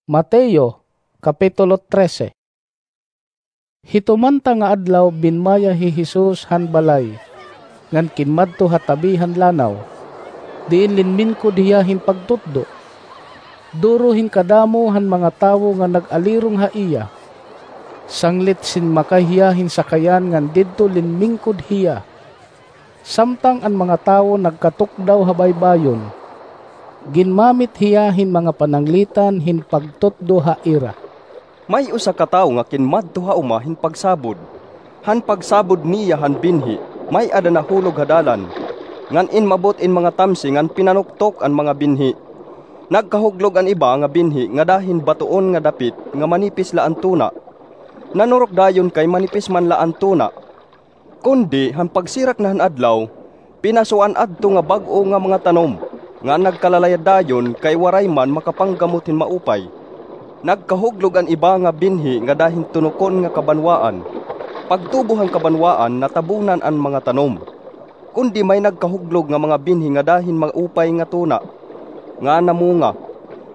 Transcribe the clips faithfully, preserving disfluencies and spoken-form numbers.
Mateo, Kapitulo trese. Hito man ta nga adlaw binmaya hi Jesus han balay, ngan kinmadto ha tabi han lanaw, diin linmingkod hiya hin pagtutdo. Duro hin kadamo han mga tawo nga nag-alirong ha iya. Sanglit sinmakay hiya hin sakayan ngan didto linmingkod hiya. Samtang an mga tawo nagkatukdaw ha baybayon, ginmamit hiya hin mga pananglitan hin pagtutdo ha ira. May usa ka tawo nga kinmadto ha uma hin pagsabod. Han pagsabod niya han binhi, may-ada nahulog ha dalan. Ngan inmabot in mga tamsi ngan pinanuktok an mga binhi. Nagkahuglog an iba nga binhi ngada hin batoon nga dapit nga manipis la an tuna. Nanurok dayon kay manipis man la an tuna. Kundi han pagsirak na han adlaw, pinasuan adto nga bag-o nga mga tanom, nga nagkalalayad dayon kay waray man makapanggamot hin maupay. Nagkahuglog an iba nga binhi ngada hin tunokon nga kabanwaan. Pagtubo han kabanwaan, natabunan an mga tanom. Kundi may nagkahuglog nga mga binhi ngada hin maupay nga tuna, nga namunga.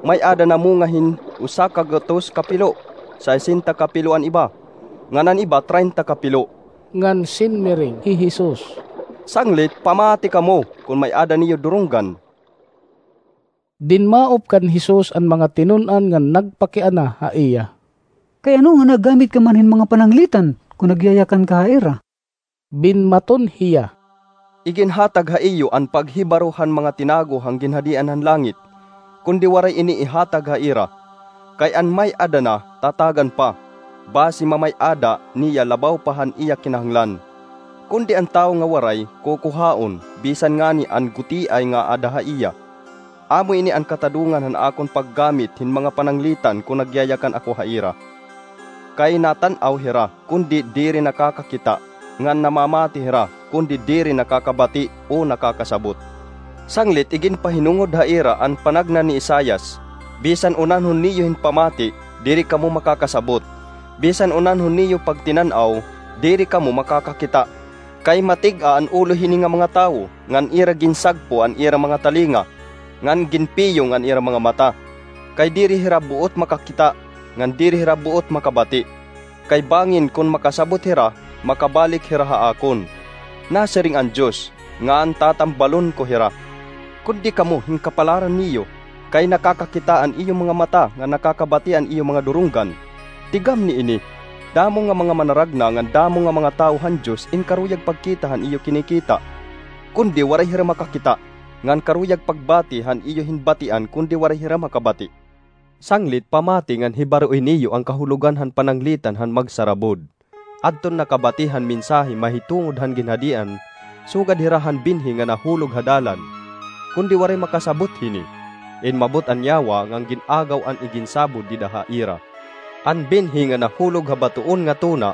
May-ada namunga hin usa ka gatos ka pilo, saysenta ka pilo an iba, ngan an iba traynta ka pilo. Ngan sinmiring hi Jesus, "Sanglit, pamati kamo kon may-ada niyo durunggan." Dinmaop kan Jesus an mga tinun-an ngan nagpakiana ha iya. "Kay ano nga naggamit ka man hin mga pananglitan kon nagyayakan ka ha ira?" Binmaton hiya, "Iginhatag ha iyo an paghibaro han mga tinago han Ginhadian han langit, kundi waray ini ihatag ha ira. Kay an may-ada na, tatagan pa, basi mamay-ada niya labaw pa han iya kinahanglan. Kundi an tawo nga waray, kukuhaon, bisan ngani an gutiay nga aada ha iya. Amo ini an katadongan han akon paggamit hin mga pananglitan kon nagyayakan ako ha ira. Kay natan-aw hira, kundi diri nakakakita, ngan namamati hira, kundi diri nakakabati o nakakasabot." Sanglit iginpahinungod ha ira an panagna ni Isaias, "Bisan unanhon niyo hin pamati, diri kamo makakasabot. Bisan unanhon niyo pagtinan-aw, diri kamo makakakita. Kay matig-a an ulo hini nga mga tawo, ngan ira ginsagpo an ira mga talinga, ngan ginpiyong an ira mga mata. Kay diri hira buot makakita, ngan diri hira buot makabati. Kay bangin kon makasabot hira, makabalik hira ha akon, nasiring an Dios, ngan tatambalon ko hira. Kundi kamo, hin kapalaran niyo, kay nakakakita an iyo mga mata ngan nakakabati an iyo mga durunggan. Tigam niini, damo nga mga manaragna ngan damo nga mga tawo han Dios in karuyag pagkita han iyo kinikita, kundi waray hira makakita, ngan karuyag pagbati han iyo hin batian kundi waray hira makabati. Sanglit pamati ngan hibaroy niyo an kahulogan han pananglitan han magsarabod. Adton nakabati han mensahe mahitungod han Ginhadian, sugad hira han binhi nga nahulog ha dalan, kundi waray makasabot hini. Inmabot an yawa ngan gin-agaw an iginsabod dida ha ira. An binhi nga nahulog ha batoon nga tuna,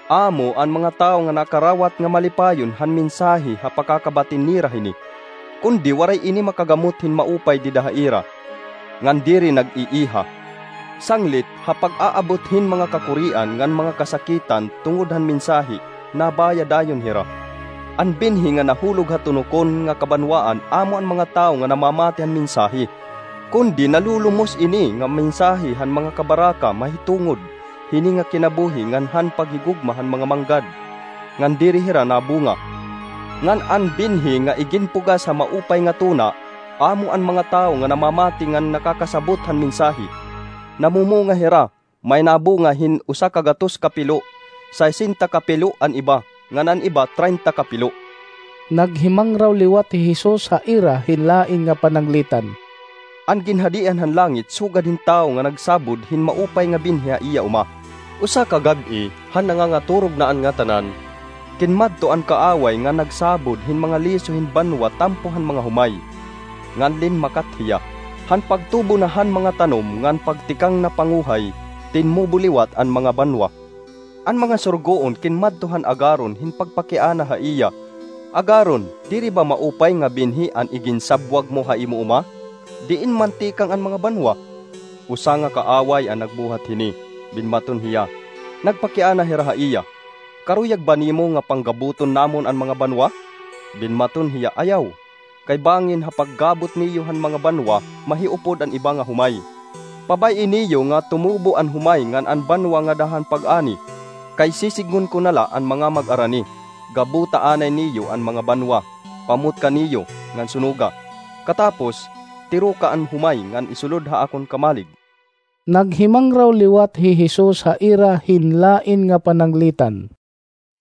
amo an mga tawo nga nakarawat nga malipayon han mensahe ha pakakabati nira hini, kundi waray ini makagamot hin maupay dida ha ira, ngan diri nag-iiha. Sanglit, ha pag-aabot hin mga kakurian ngan mga kasakitan tungod han mensahe, nabaya dayon hira. An binhi nga nahulog ha tunokon nga kabanwaan amo an mga tawo nga namamati han mensahe, kundi nalulumos ini nga mensahe han mga kabaraka mahitungod hini nga kinabuhi ngan han paghigugma han mga manggad, ngan diri hira nabunga. Ngan an binhi nga iginpugas ha maupay nga tuna, amo an mga tawo nga namamati ngan nakakasabot han mensahe. Namumunga hira, may nabunga hin usa ka gatos ka pilo, saysenta ka pilo an iba, ngan an iba traynta ka pilo. Naghimangraw liwat hi Jesus ha ira hin lain nga pananglitan. An Ginhadian han langit sugad hin tawo nga nagsabod hin maupay nga binhi ha iya uma. Usa ka gab-i, han nangangaturog na an ngatanan, kinmadto an kaaway ngan nagsabod hin mga liso hin banwa tampo han mga humay. Ngan linmakat hiya. Han pagtubo na han mga tanom ngan pagtikang na panguhay, tinmubo liwat an mga banwa. An mga surugoon kinmadto han agaron hin pagpakiana ha iya, "Agaron, diri ba maupay nga binhi an iginsabwag mo ha imo uma? Diin man tikang an mga banwa?" "Usa nga kaaway an nagbuhat hini," binmaton hiya. Nagpakiana hira ha iya, "Karuyag ba nimo nga panggabuton namon an mga banwa?" Binmaton hiya, "Ayaw, kay bangin ha paggabot niyo han mga banwa, mahiupod an iba nga humay." Pabay-i niyo nga tumubo an humay ngan an banwa ngada han pag-ani, kay sisidngon ko na la an mga mag-arani. Gabuta anay niyo an mga banwa, pamutka niyo, ngan sunoga. Katapos, tiroka an humay ngan isulod ha akon kamalig." Naghimangraw liwat hi Jesus ha ira hin lain nga pananglitan.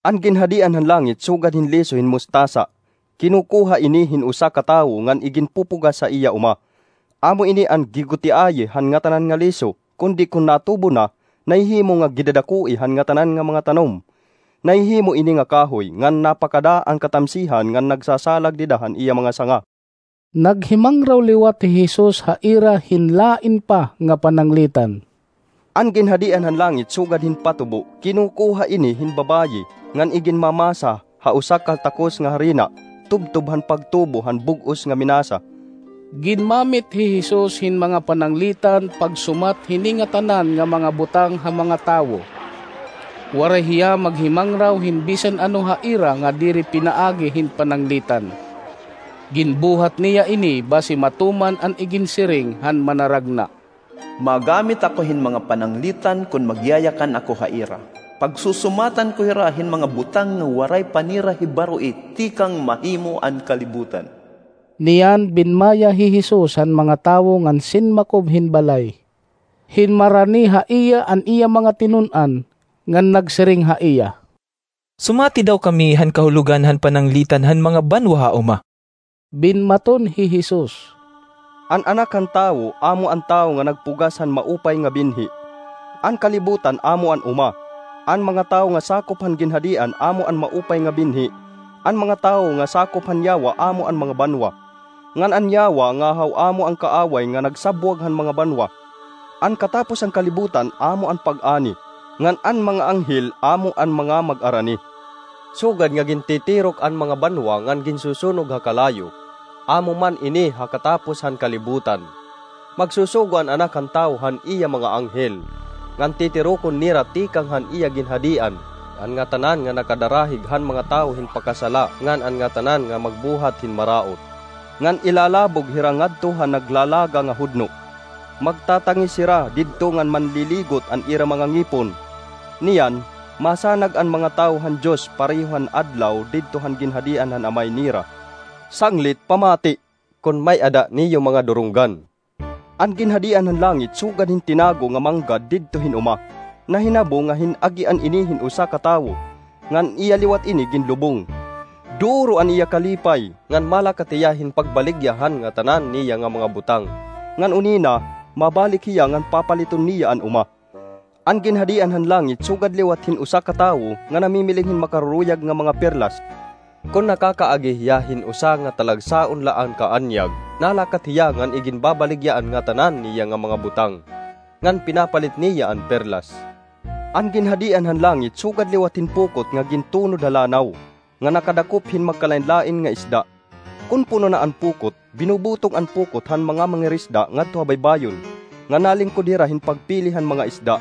An Ginhadian han langit sugad hin liso hin mustasa. Kinukuha ini hin usa ka tawo ngan iginpupugas ha iya uma. Amo ini an gigutiayi han ngatanan nga liso, kundi kon natubo na, nahihimo nga gidadakoi han ngatanan nga mga tanom. Nahihimo ini nga kahoy ngan napakada an katamsihan ngan nagsasalag dida han iya mga sanga. Naghimangraw liwat hi Jesus ha ira hin lain pa nga pananglitan. An Ginhadian han langit sugad hin patubo, kinukuha ini hin babayi, ngan iginmamasa ha usa ka takos nga harina, tubtob han pagtubo han bug-os nga minasa. Ginmamit hi Jesus hin mga pananglitan pagsumat hini ngatanan nga mga butang ha mga tawo. Waray hiya maghimangraw hin bisan ano ha ira nga diri pinaagi hin pananglitan. Ginbuhat niya ini basi matuman an iginsiring han Manaragna. Magamit ako hin mga pananglitan kon magyayakan ako ha ira. Pagsusumatan ko hira hin mga butang nga waray pa nira hibaroi tikang mahimo an kalibutan. Niyan binmaya hi Jesus han mga tawo ngan sinmakob hin balay. Hinmarani ha iya an iya mga tinun-an, ngan nagsiring ha iya. Sumati daw kami han kahulogan han pananglitan han mga banwa ha uma. Binmaton hi Jesus. An Anak han Tawo amo an tawo nga nagpugas han maupay nga binhi. An kalibutan amo an uma. An mga tawo nga sakop han Ginhadian amo an maupay nga binhi. An mga tawo nga sakop han yawa amo an mga banwa. Ngan an yawa ngahaw amo an kaaway nga nagsabwag han mga banwa. An katapos han kalibutan amo an pag-ani, ngan an mga anghel amo an mga mag-arani. Sugad nga gintitirok an mga banwa ngan ginsusunog ha kalayo, amo man ini ha katapos han kalibutan. Magsusugo an Anak han Tawo han iya mga anghel, ngan titirokon nira tikang han iya ginhadian an ngatanan nga nakadarahig han mga tawo hin pakasala ngan an ngatanan nga magbuhat hin maraot. Ngan ilalabog hira ngadto ha naglalaga nga hudno. Magtatangis hira didto ngan manliligot an ira mga ngipon. Niyan, masanag an mga tawo han Dios pareho han adlaw didto han ginhadian han Amay nira. Sanglit pamati, kon may-ada niyo mga durunggan. An ginhadian han langit sugad hin tinago nga mangga didto hin uma. Nahinabo nga hin-agian ini hin usa ka tawo, ngan iya liwat ini ginlubong. Duro an iya kalipay, ngan malakat hiya hin pagbaligya han ngatanan niya nga mga butang. Ngan unina, mabalik hiya ngan papaliton niya an uma. An ginhadian han langit sugad liwat hin usa ka tawo nga namimiling hin makaruruyag nga mga perlas. Kon nakakaagi hiya hin usa nga talagsaon la an kaanyag, nalakat hiya ngan iginbabaligya an ngatanan niya nga mga butang, ngan pinapalit niya an perlas. An ginhadian han langit sugad liwat hin pukot nga gintunod ha lanaw, nga nakadakop hin magkalain-lain nga isda. Kon puno na an pukot, binubutong an pukot han mga mangirisda ngadto ha baybayon, nga nalingkod hira hin pagpili han mga isda.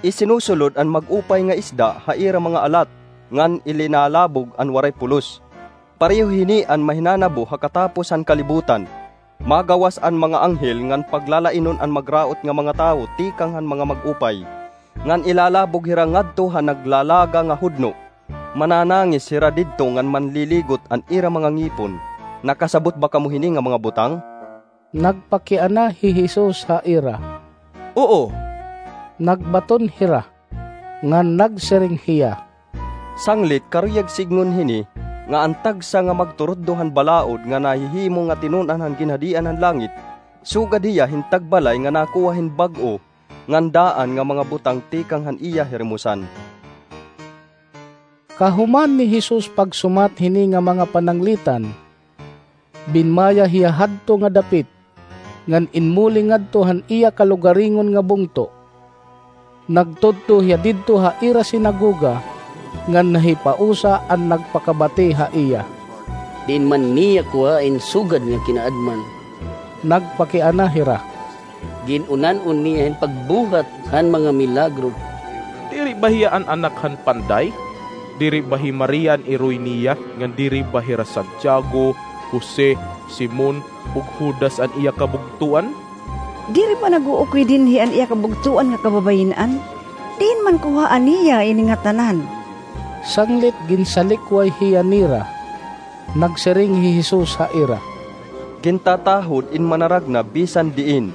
Isinusulod an mag-upay nga isda ha ira mga alat, ngan ilinalabog an waray pulos. Pareho hini an mahinanabo ha katapos han kalibutan. Magawas an mga anghel ngan paglalainon an magraot nga mga tawo tikang han mga mag-upay, ngan ilalabog hira ngadto ha naglalaga nga hudno. Mananangis hira didto ngan manliligot an ira mga ngipon. Nakasabot ba kamo hini nga mga butang? Nagpakiana hi Jesus ha ira. Oo. Nagbaton hira, ngan nagsiring hiya. Sanglit karuyag sidngon hini, nga an tagsa nga magturudlo han balaod nga nahihimo nga tinun-an han ginhadian han langit, sugad hiya hin tagbalay nga nakuha hin bag-o ngan daan nga mga butang tikang han iya hirmusan. Kahuman ni Jesus pagsumat hini nga mga pananglitan, binmaya hiya hadto nga dapit, ngan inmuli ngadto han iya kalugaringon nga bungto. Nagtudto hiya didto ha ira sinagoga, ngan nahipausa an nagpakabati ha iya. Diin man niya kuhaa in sugad nga kinaadman? Nagpakiana hira. Gin-unan-on niya hin pagbuhat han mga milagro. Diri ba hiya an anak han panday? Diri ba hi Maria an iroy niya, ngan diri ba hira Santiago, Jose, Simon, ug Judas an iya kabugtoan? Diri ba nag-uukoy dinhi an iya kabugtoan nga kababayin-an? Diin man kuhaa niya ini ngatanan? Sanglit ginsalikway hiya nira. Nagsiring hi Jesus ha ira, "Gintatahod in manaragna bisan diin,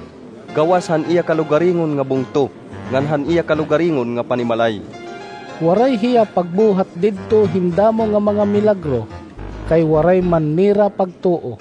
gawas han iya kalugaringon nga bungto, ngan han iya kalugaringon nga panimalay." Waray hiya pagbuhat didto hin damo nga mga milagro, kay waray man nira pagtuo.